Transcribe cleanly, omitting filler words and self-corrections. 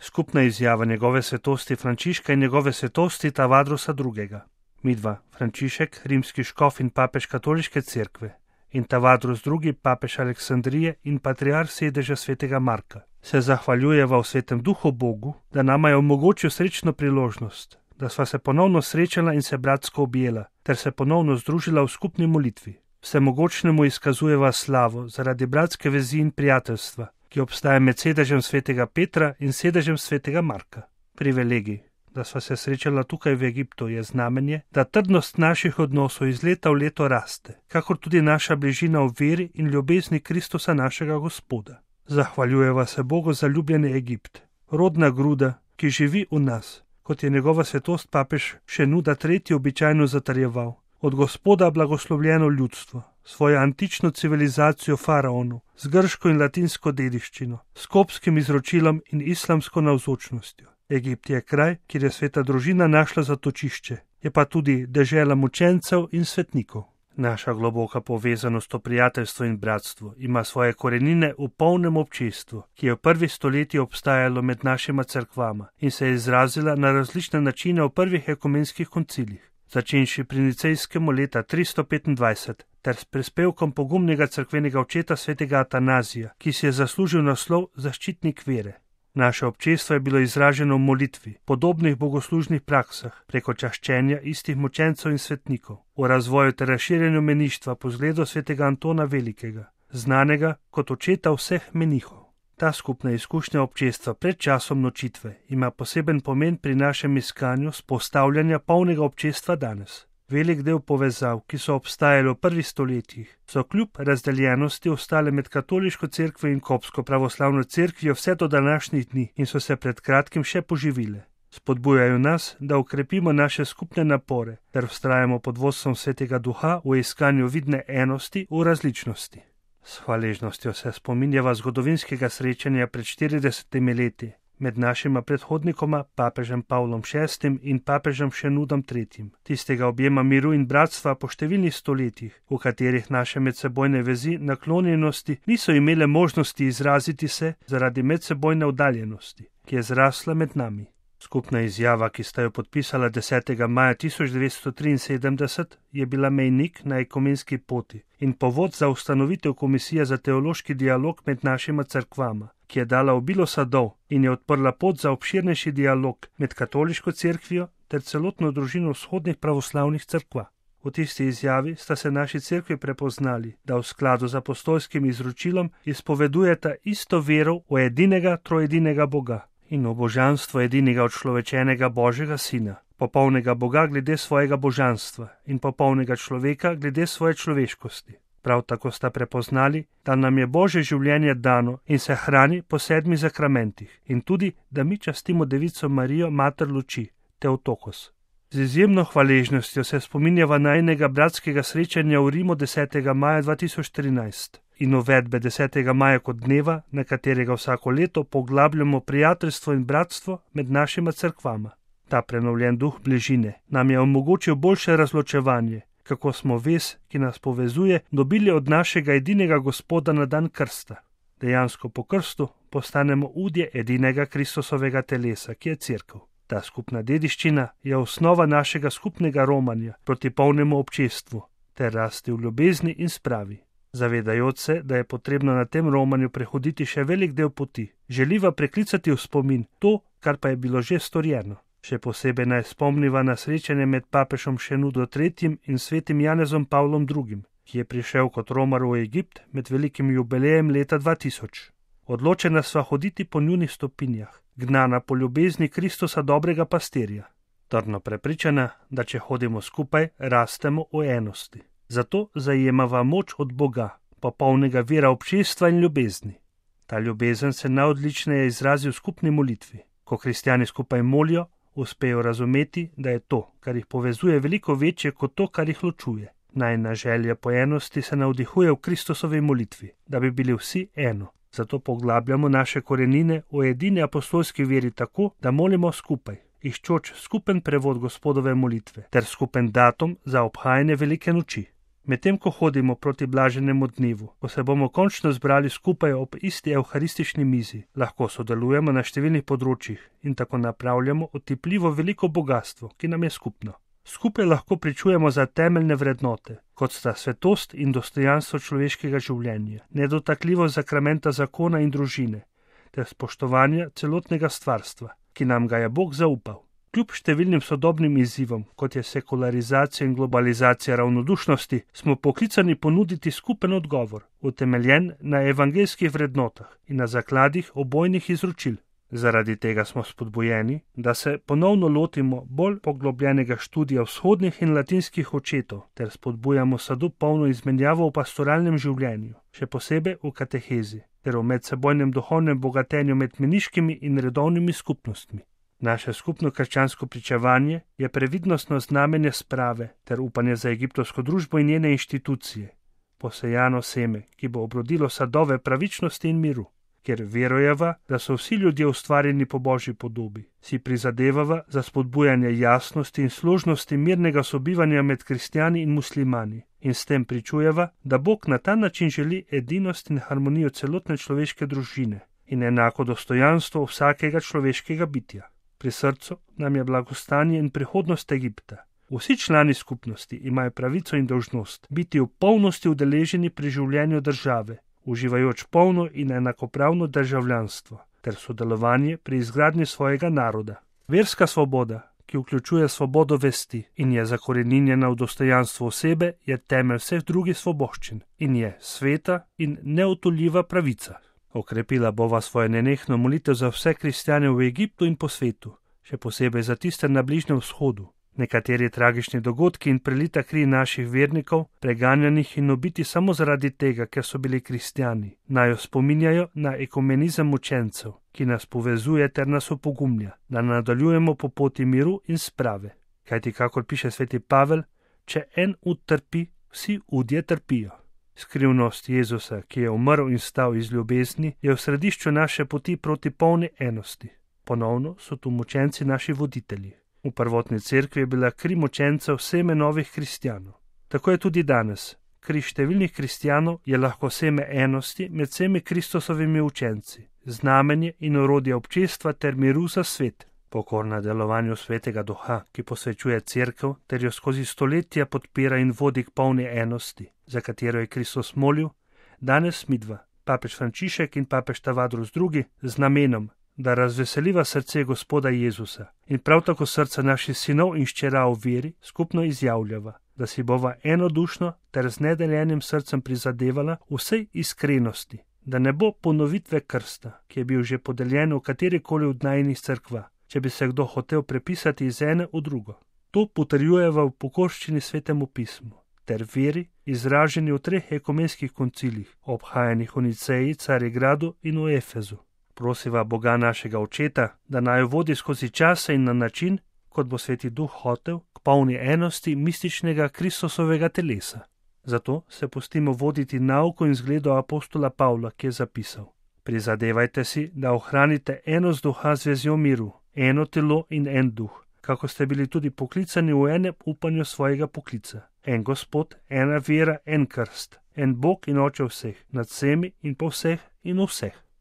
Skupna izjava njegove svetosti Frančiška in njegove svetosti Tavadrosa II. Midva, Frančišek, rimski škof in papež katoliške cerkve, in Tavadros II., papež Aleksandrije in patriarh sedeža svetega Marka, se zahvaljujeva v svetem duhu Bogu, da nama je omogočil srečno priložnost, da sva se ponovno srečala in se bratsko objela, ter se ponovno združila v skupni molitvi. Vsemogočnemu izkazujeva slavo zaradi bratske vezi in prijateljstva, ki obstaja med sedežem svetega Petra in sedežem svetega Marka. Privilegij, da sva se srečala tukaj v Egiptu, je znamenje, da trdnost naših odnosov iz leta v leto raste, kakor tudi naša bližina v veri in ljubezni Kristusa našega Gospoda. Zahvaljujeva se Bogu za ljubljeni Egipt, rodna gruda, ki živi v nas, kot je njegova svetost papež Šenuda III. Običajno zatrjeval. Od Gospoda blagoslovljeno ljudstvo, svojo antično civilizacijo faraonu, z grško in latinsko dediščino, s kopskim izročilom in islamsko navzočnostjo. Egipt je kraj, kjer je sveta družina našla zatočišče, je pa tudi dežela mučencev in svetnikov. Naša globoka povezanost v prijateljstvo in bratstvo ima svoje korenine v polnem občestvu, ki je v prvih stoletjih obstajalo med našima cerkvama in se je izrazila na različne načine v prvih ekumenskih koncilih. Začenši pri Nicejskemu leta 325 ter s prispevkom pogumnega cerkvenega očeta svetega Atanazija, ki si je zaslužil naslov zaščitnik vere. Naše občestvo je bilo izraženo v molitvi, podobnih bogoslužnih praksah, preko čaščenja istih mučencev in svetnikov, v razvoju ter razširjenju meništva po zgledu svetega Antona Velikega, znanega kot očeta vseh menihov. Ta skupna izkušnja občestva pred časom nočitve ima poseben pomen pri našem iskanju vzpostavljanja polnega občestva danes. Velik del povezav, ki so obstajali v prvih stoletjih, so kljub razdeljenosti ostale med katoliško cerkvo in kopsko pravoslavno cerkvijo vse do današnjih dni in so se pred kratkim še poživile. Spodbujajo nas, da ukrepimo naše skupne napore ter vztrajamo pod vodstvom svetega duha v iskanju vidne enosti v različnosti. S hvaležnostjo se spominjava zgodovinskega srečanja pred 40 leti med našima predhodnikoma, papežem Pavlom VI. In papežem Šenudom III., tistega objema miru in bratstva po številnih stoletjih, v katerih naše medsebojne vezi naklonjenosti niso imele možnosti izraziti se zaradi medsebojne oddaljenosti, ki je zrasla med nami. Skupna izjava, ki sta jo podpisala 10. maja 1973, je bila mejnik na ekumenski poti in povod za ustanovitev Komisije za teološki dialog med našima cerkvama, ki je dala obilo sadov in je odprla pot za obširnejši dialog med katoliško cerkvijo ter celotno družino vzhodnih pravoslavnih cerkva. V tisti izjavi sta se naši cerkvi prepoznali, da v skladu z apostolskim izročilom izpovedujeta isto vero v edinega troedinega Boga in v božanstvo edinega odčlovečenega Božjega Sina, popolnega Boga glede svojega božanstva in popolnega človeka glede svoje človeškosti. Prav tako sta prepoznali, da nam je Božje življenje dano in se hrani po 7 zakramentih in tudi, da mi častimo Devico Marijo, mater luči, Teotokos. Z izjemno hvaležnostjo se spominjava najinega bratskega srečanja v Rimu 10. maja 2013 in uvedbe 10. maja kot dneva, na katerega vsako leto poglabljamo prijateljstvo in bratstvo med našima cerkvama. Ta prenovljen duh bližine nam je omogočil boljše razločevanje, kako smo vez, ki nas povezuje, dobili od našega edinega Gospoda na dan krsta. Dejansko po krstu postanemo udje edinega Kristusovega telesa, ki je cerkev. Ta skupna dediščina je osnova našega skupnega romanja proti polnemu občestvu ter rasti v ljubezni in spravi. Zavedajoč se, da je potrebno na tem romanju prehoditi še velik del poti, želiva preklicati v spomin to, kar pa je bilo že storjeno. Še posebej naj spomniva na srečanje med papežom Šenudo III. In svetim Janezom Pavlom II., ki je prišel kot romar v Egipt med velikim jubilejem leta 2000. Odločena sva hoditi po njunih stopinjah, gnana po ljubezni Kristusa dobrega pastirja. Trdno prepričana, da če hodimo skupaj, rastemo v enosti. Zato zajemava moč od Boga, popolnega vira občestva in ljubezni. Ta ljubezen se najodličneje izrazi v skupni molitvi. Ko kristjani skupaj molijo, uspejo razumeti, da je to, kar jih povezuje, veliko večje kot to, kar jih ločuje. Najina želja po enosti se navdihuje v Kristusovi molitvi, da bi bili vsi eno. Zato poglabljamo naše korenine v edini apostolski veri tako, da molimo skupaj, iščoč skupen prevod Gospodove molitve ter skupen datum za obhajanje velike noči. Medtem ko hodimo proti blaženemu dnevu, ko se bomo končno zbrali skupaj ob isti evharistični mizi, lahko sodelujemo na številnih področjih in tako napravljamo otipljivo veliko bogatstvo, ki nam je skupno. Skupaj lahko pričujemo za temeljne vrednote, kot sta svetost in dostojanstvo človeškega življenja, nedotakljivost sakramenta zakona in družine, ter spoštovanja celotnega stvarstva, ki nam ga je Bog zaupal. Kljub številnim sodobnim izzivom, kot je sekularizacija in globalizacija ravnodušnosti, smo poklicani ponuditi skupen odgovor, utemeljen na evangeljskih vrednotah in na zakladih obojnih izročil. Zaradi tega smo spodbujeni, da se ponovno lotimo bolj poglobljenega študija vzhodnih in latinskih očetov ter spodbujamo sadu polno izmenjavo v pastoralnem življenju, še posebej v katehezi, ter v medsebojnem duhovnem bogatenju med meniškimi in redovnimi skupnostmi. Naše skupno krščansko pričevanje je previdnostno znamenje sprave ter upanje za egiptovsko družbo in njene inštitucije, posejano seme, ki bo obrodilo sadove pravičnosti in miru. Ker verujeva, da so vsi ljudje ustvarjeni po Božji podobi, si prizadevava za spodbujanje jasnosti in složnosti mirnega sobivanja med kristjani in muslimani in s tem pričujeva, da Bog na ta način želi edinost in harmonijo celotne človeške družine in enako dostojanstvo vsakega človeškega bitja. Pri srcu nam je blagostanje in prihodnost Egipta. Vsi člani skupnosti imajo pravico in dolžnost biti v polnosti udeleženi pri življenju države, uživajoč polno in enakopravno državljanstvo ter sodelovanje pri izgradnji svojega naroda. Verska svoboda, ki vključuje svobodo vesti in je zakoreninjena v dostojanstvo osebe, je temelj vseh drugih svoboščin in je sveta in neodtujljiva pravica. Okrepila bova svojo nenehno molitev za vse kristjane v Egiptu in po svetu, še posebej za tiste na Bližnjem vzhodu. Nekateri tragični dogodki in prelita kri naših vernikov, preganjanih in ubiti samo zaradi tega, ker so bili kristjani, naj jo spominjajo na ekumenizem učencev, ki nas povezuje ter nas opogumlja, da nadaljujemo po poti miru in sprave. Kajti, kakor piše sveti Pavel, če en ud trpi, vsi udje trpijo. Skrivnost Jezusa, ki je umrl in stal iz ljubezni, je v središču naše poti proti polni enosti. Ponovno so tu mučenci naši voditelji. V prvotni cerkvi je bila kri mučencev seme novih kristjanov. Tako je tudi danes. Kri številnih kristjanov je lahko seme enosti med vsemi Kristusovimi učenci, znamenje in orodje občestva ter miru za svet. Pokorna delovanju svetega duha, ki posvečuje cerkev ter jo skozi stoletja podpira in vodi k polni enosti, za katero je Kristus molil, danes midva, papež Frančišek in papež Tavadros II, z namenom, da razveseliva srce Gospoda Jezusa in prav tako srca naših sinov in hčera v veri, skupno izjavljava, da si bova enodušno ter z nedeljenim srcem prizadevala vsej iskrenosti, da ne bo ponovitve krsta, ki je bil že podeljen v katerikoli od najinih cerkva, če bi se kdo hotel prepisati iz ene v drugo. To potrjujeva v pokorščini svetemu pismu ter veri, izraženi v 3 ekumenskih koncilih, obhajanih v Niceji, Carigradu in v Efezu. Prosiva Boga našega Očeta, da naj vodi skozi čase in na način, kot bo sveti duh hotel, k polni enosti mističnega Kristusovega telesa. Zato se pustimo voditi nauko in zgledu apostola Pavla, ki je zapisal: prizadevajte si, da ohranite enost duha z vezjo miru, eno telo in en duh, kako ste bili tudi poklicani v enem upanju svojega poklica. En Gospod, ena vera, en krst, en Bog in Oče vseh, nad vsemi in po vseh in v vseh.